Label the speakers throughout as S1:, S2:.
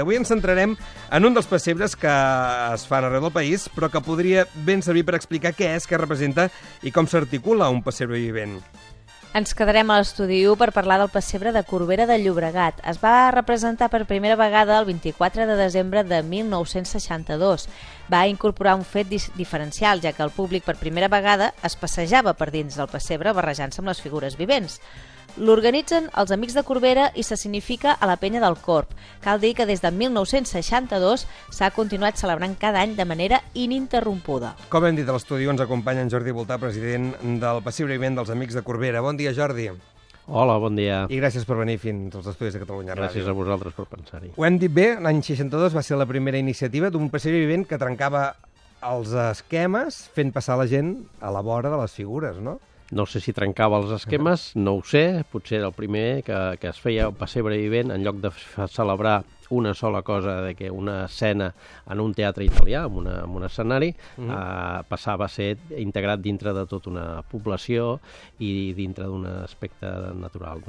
S1: Exacte, avui ens centrarem en un dels pessebres que es fan arreu del país, però que podria ben servir per explicar què és, què representa i com s'articula un pessebre vivent.
S2: Ens quedarem a l'estudi 1 per parlar del pessebre de Corbera de Llobregat. Es va representar per primera vegada el 24 de desembre de 1962. Va incorporar un fet diferencial, ja que el públic per primera vegada es passejava per dins del pessebre barrejant-se amb les figures vivents. L'organitzen els Amics de Corbera i se significa a la penya del Corb. Cal dir que des de 1962 s'ha continuat celebrant cada any de manera ininterrompuda.
S1: Com hem dit a l'estudi, ens acompanya en Jordi Voltà, president del pessebre vivent dels Amics de Corbera. Bon dia, Jordi.
S3: Hola, bon dia.
S1: I gràcies per venir fins als estudis de Catalunya Ràdio.
S3: Gràcies a vosaltres per pensar-hi.
S1: Ho hem dit bé, l'any 62 va ser la primera iniciativa d'un pessebre vivent que trencava els esquemes fent passar la gent a la vora de les figures, no?
S3: No sé si trencava els esquemes, no ho sé, potser era el primer que es feia el pessebre vivent, en lloc de celebrar una sola cosa, de que una escena en un teatre italià, en un escenari, passava a ser integrat dintre de tota una població i dintre d'un aspecte natural.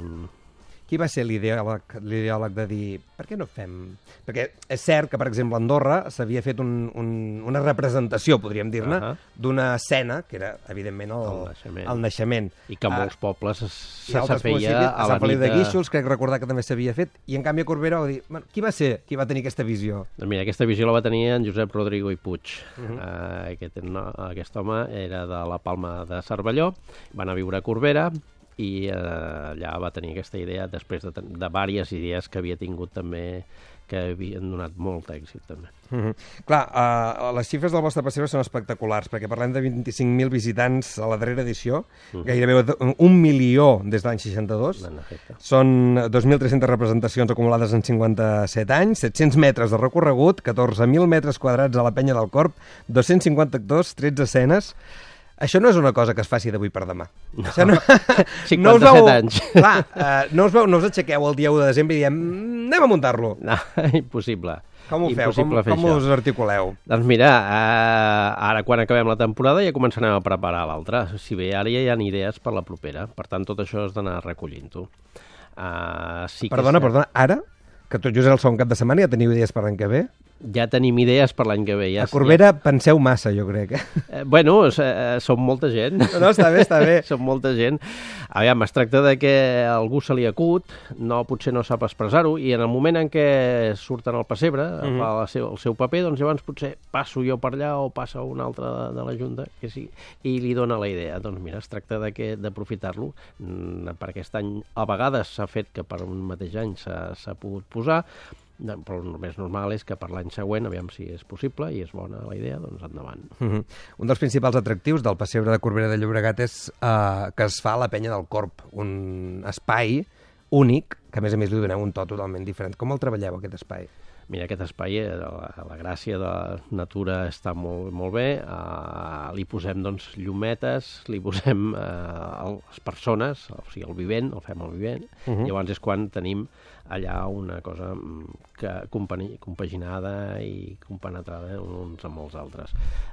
S1: Qui va ser l'ideòleg de dir per què no fem... Perquè és cert que, per exemple, a Andorra s'havia fet una representació, podríem dir-ne, d'una escena, que era, evidentment, el naixement.
S3: I que en molts pobles se feia a la nit.
S1: A Sant Feliu de Guíxols, crec recordar que també s'havia fet, i en canvi a Corbera va dir... Qui va ser qui va tenir aquesta visió?
S3: Mira, aquesta visió la va tenir en Josep Rodrigo i Puig. Aquest home era de la Palma de Cervelló, va anar a viure a Corbera, i allà va tenir aquesta idea després de diverses idees que havia tingut també, que havien donat molt èxit també.
S1: Clar, les xifres del vostre pessebre són espectaculars, perquè parlem de 25.000 visitants a la darrera edició, gairebé 1 milió des de l'any 62, són 2.300 representacions acumulades en 57 anys, 700 metres de recorregut, 14.000 metres quadrats a la penya del Corb, 250 actors, 13 escenes... Això no és una cosa que es faci d'avui per demà.
S3: No, 57 anys.
S1: Clar, no us aixequeu el dia 1 de desembre i diem anem a muntar-lo.
S3: No, impossible.
S1: Com ho feu? Com us articuleu?
S3: Doncs mira, ara quan acabem la temporada ja començarem a preparar l'altra. Si bé ara ja hi ha idees per la propera. Per tant, tot això has d'anar recollint-ho.
S1: Perdona, ara? Que tot just és el segon cap de setmana, ja teniu idees per l'any que ve?
S3: Ja tenim idees per l'any que ve.
S1: A Corbera penseu massa, jo crec.
S3: Bueno, som molta gent.
S1: No, està bé.
S3: Som molta gent. Aviam, es tracta de que algú se li acut, potser no sap expressar-ho, i en el moment en què surten al pessebre, fa el seu paper, doncs llavors potser passo jo per allà o passa un altre de la Junta, que sí, i li dona la idea. Doncs mira, es tracta d'aprofitar-lo. Per aquest any, a vegades s'ha fet que per un mateix any s'ha pogut posar, però el més normal és que per l'any següent, aviam si és possible i és bona la idea, doncs endavant.
S1: Un dels principals atractius del pessebre de Corbera de Llobregat és que es fa a la penya del Corb, un espai únic, que a més li doneu un to totalment diferent. Com el treballeu, aquest espai?
S3: Mira, aquest espai, la gràcia de la natura està molt bé, li posem doncs llametes, li posem les persones, o sigui, el vivent, el fem el vivent, llavors és quan tenim allà una cosa compaginada i compenetrada uns amb els altres.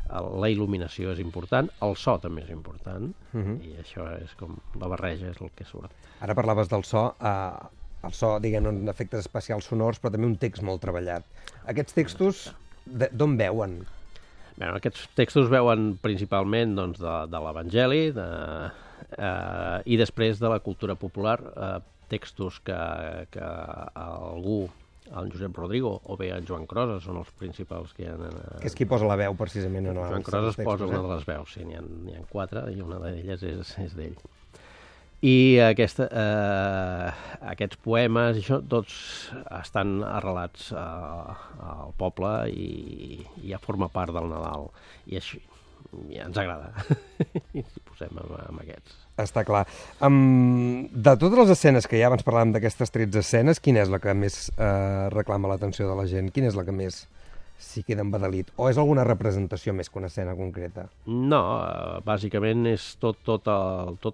S3: La il·luminació és important, el so també és important, i això és com la barreja, és el que surt.
S1: Ara parlaves del so, el so, diguem, efectes especials sonors, però també un text molt treballat. Aquests textos, d'on veuen?
S3: Bé, aquests textos veuen principalment doncs, de l'Evangeli i després de la cultura popular, textos que algú, el Josep Rodrigo o bé el Joan Crosa, són els principals que hi ha.
S1: Que és qui posa la veu, precisament.
S3: Joan Crosa posa una de les veus, sí, n'hi ha 4 i una d'elles és d'ell. I aquests poemes, això, tots estan arrelats al poble i ja forma part del Nadal. I així ja ens agrada. I ens posem amb aquests.
S1: Està clar. De totes les escenes que ja abans parlàvem d'aquestes 13 escenes, quina és la que més reclama l'atenció de la gent? Quina és la que més s'hi queda embadalit? O és alguna representació més que una escena concreta?
S3: No, bàsicament és tot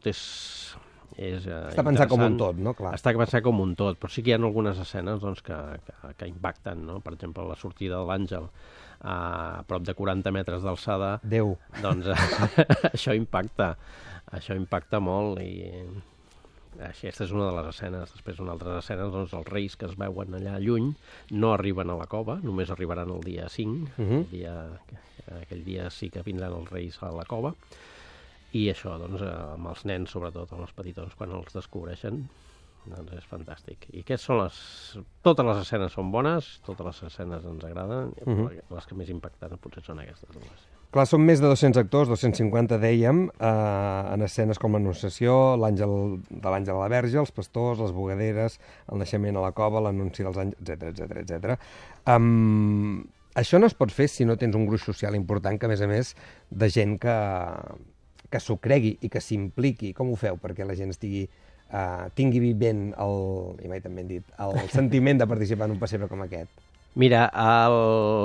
S3: és
S1: està pensat com un tot, no? Clar.
S3: Està pensat com un tot, però sí que hi ha algunes escenes doncs, que impacten, no? Per exemple, la sortida de l'àngel a prop de 40 metres d'alçada.
S1: Déu!
S3: Doncs això impacta molt i Aquesta és una de les escenes. Després, una altra escena, doncs, els reis que es veuen allà lluny no arriben a la cova, només arribaran el dia 5. Aquell dia sí que vindran els reis a la cova. I això, doncs, amb els nens, sobretot, amb els petitons, quan els descobreixen, doncs és fantàstic. I aquestes són totes les escenes són bones, totes les escenes ens agraden, les que més impactants potser són aquestes dues.
S1: Clar, són més de 200 actors, 250 dèiem, en escenes com l'Anunciació, l'Àngel de l'Àngel a la Verge, els pastors, les bugaderes, el naixement a la cova, l'anunci dels àngels, etc. Això no es pot fer si no tens un gruix social important, que a més, de gent que s'ho cregui i que s'impliqui. Com ho feu perquè la gent tingui vivent i mai també hem dit, el sentiment de participar en un pessebre com aquest?
S3: Mira,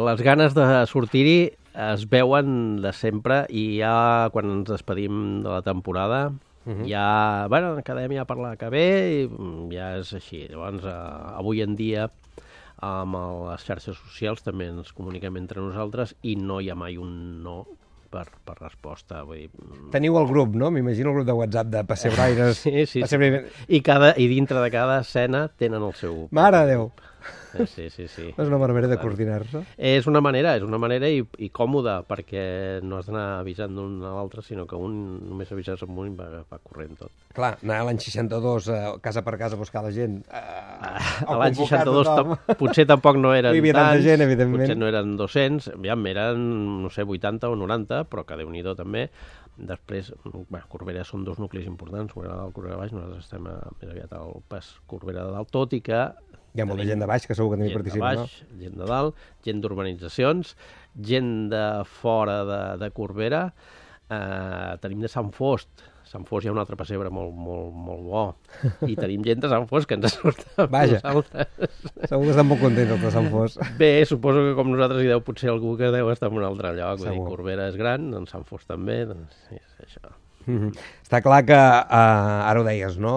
S3: les ganes de sortir-hi es veuen de sempre i ja quan ens despedim de la temporada ja, bueno, quedem ja per la que ve i ja és així. Llavors, avui en dia, amb les xarxes socials també ens comuniquem entre nosaltres i no hi ha mai un no per resposta. Vull dir...
S1: Teniu el grup, no? M'imagino el grup de WhatsApp de pessebraires.
S3: Sí. I dintre de cada escena tenen el seu...
S1: Mare de Déu!
S3: Sí.
S1: És una manera de coordinar-se.
S3: És una manera i còmoda, perquè no has d'anar avisant d'un a l'altre, sinó que un només avises amb un i va corrent tot.
S1: Clar, anar a l'any 62 casa per casa a buscar la gent...
S3: A l'any 62 potser tampoc no eren tants,
S1: gent, evidentment.
S3: Potser no eren 200, eren, no sé, 80 o 90, però que Déu-n'hi-do també. Després, Corbera són dos nuclis importants, Corbera de dalt, Corbera de baix, nosaltres estem més aviat al pas Corbera de dalt, tot i que
S1: hi ha molta gent de baix, que segur que també participa, no?
S3: Gent de baix, gent de dalt, gent d'urbanitzacions, gent de fora de Corbera, tenim de Sant Fost. Sant Fost hi ha un altre pessebre molt bo. I tenim gent de Sant Fost que ens surt amb nosaltres.
S1: Segur que estan molt contents els de Sant Fost.
S3: Bé, suposo que com nosaltres hi deu potser algú que deu estar en un altre lloc. Vull dir, Corbera és gran, doncs Sant Fost també, doncs és això.
S1: Està clar que, ara ho deies, no?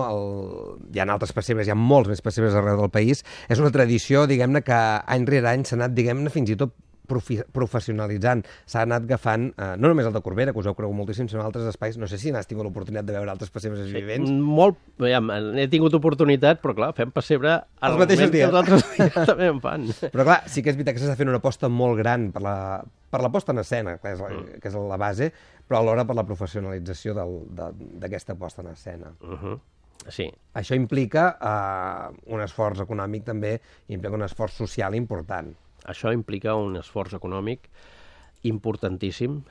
S1: Hi ha altres pessebres, hi ha molts més pessebres arreu del país. És una tradició, diguem-ne, que any rere any s'ha anat, diguem-ne, fins i tot professionalitzant. S'ha anat agafant, no només el de Corbera, que us heu cregut moltíssim, sinó altres espais. No sé si n'has tingut l'oportunitat de veure altres pessebres vivents.
S3: Molt, he tingut oportunitat, però clar, fem pessebre
S1: els mateixos dies.
S3: Els altres dies també en fan.
S1: Però clar, sí que és veritat que s'està fent una aposta molt gran per la posta en escena, que és la base, però alhora per la professionalització d'aquesta posta en escena.
S3: Sí.
S1: Això implica un esforç econòmic també, implica un esforç social important.
S3: Això implica un esforç econòmic importantíssim,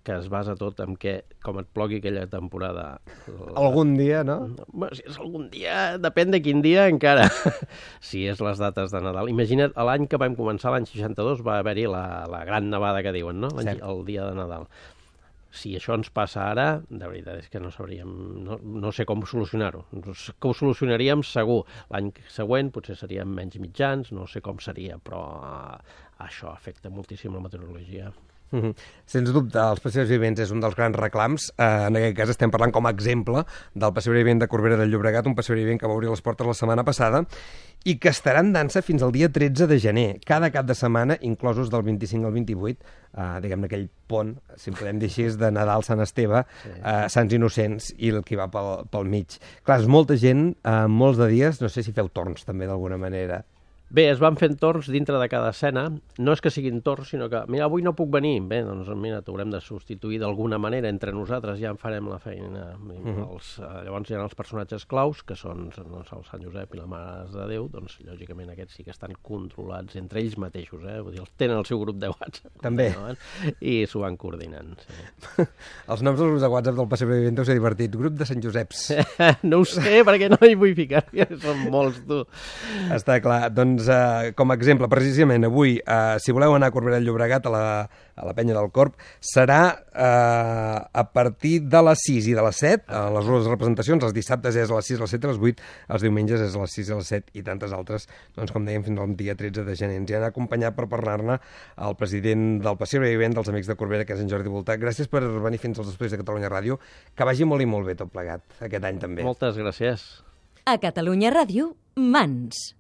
S3: que es basa tot en que, com et plogui aquella temporada...
S1: Algun dia, no?
S3: Bueno, si és algun dia, depèn de quin dia encara. Si és les dates de Nadal. Imagina't, l'any que vam començar, l'any 62, va haver-hi la gran nevada que diuen, no? El dia de Nadal. Si això ens passa ara, de veritat és que no sabríem, no sé com solucionar-ho. Que ho solucionaríem segur. L'any següent potser seríem menys mitjans, no sé com seria, però això afecta moltíssim la meteorologia.
S1: Sens dubte, els pessebres vivents és un dels grans reclams. En aquest cas estem parlant com a exemple del pessebre vivent de Corbera del Llobregat, un pessebre vivent que va obrir les portes la setmana passada i que estarà en dansa fins al dia 13 de gener, cada cap de setmana, inclosos del 25 al 28, diguem-ne aquell pont, si en podem dir així, de Nadal, Sant Esteve, Sants Innocents i el que va pel mig. Clar, és molta gent, molts de dies, no sé si feu torns també d'alguna manera.
S3: Bé, es van fent torns dintre de cada escena. No és que siguin torns, sinó que, mira, avui no puc venir. Bé, doncs mira, t'haurem de substituir d'alguna manera entre nosaltres, ja en farem la feina. Llavors hi ha els personatges claus, que són el Sant Josep i la Mare de Déu, doncs lògicament aquests sí que estan controlats entre ells mateixos, vull dir, tenen el seu grup de WhatsApp.
S1: També.
S3: I s'ho van coordinant, sí.
S1: Els noms dels grups de WhatsApp del pessebre vivent deu ser divertit. Grup de Sant Joseps.
S3: No ho sé, perquè no hi vull ficar, són molts, tu.
S1: Està clar, doncs com a exemple, precisament avui, si voleu anar a Corbera del Llobregat, a la Penya del Corb, serà a partir de les 6 i de les 7, a les dues representacions, els dissabtes és a les 6, a les 7 i a les 8, els diumenges és a les 6 i a les 7 i tantes altres, doncs com dèiem, fins al dia 13 de gener. Ens hi han acompanyat per parlar-ne el president del pessebre vivent dels Amics de Corbera, que és en Jordi Voltà. Gràcies per venir fins als estudis de Catalunya Ràdio. Que vagi molt i molt bé tot plegat, aquest any també.
S3: Moltes gràcies.
S4: A Catalunya Ràdio, Mans.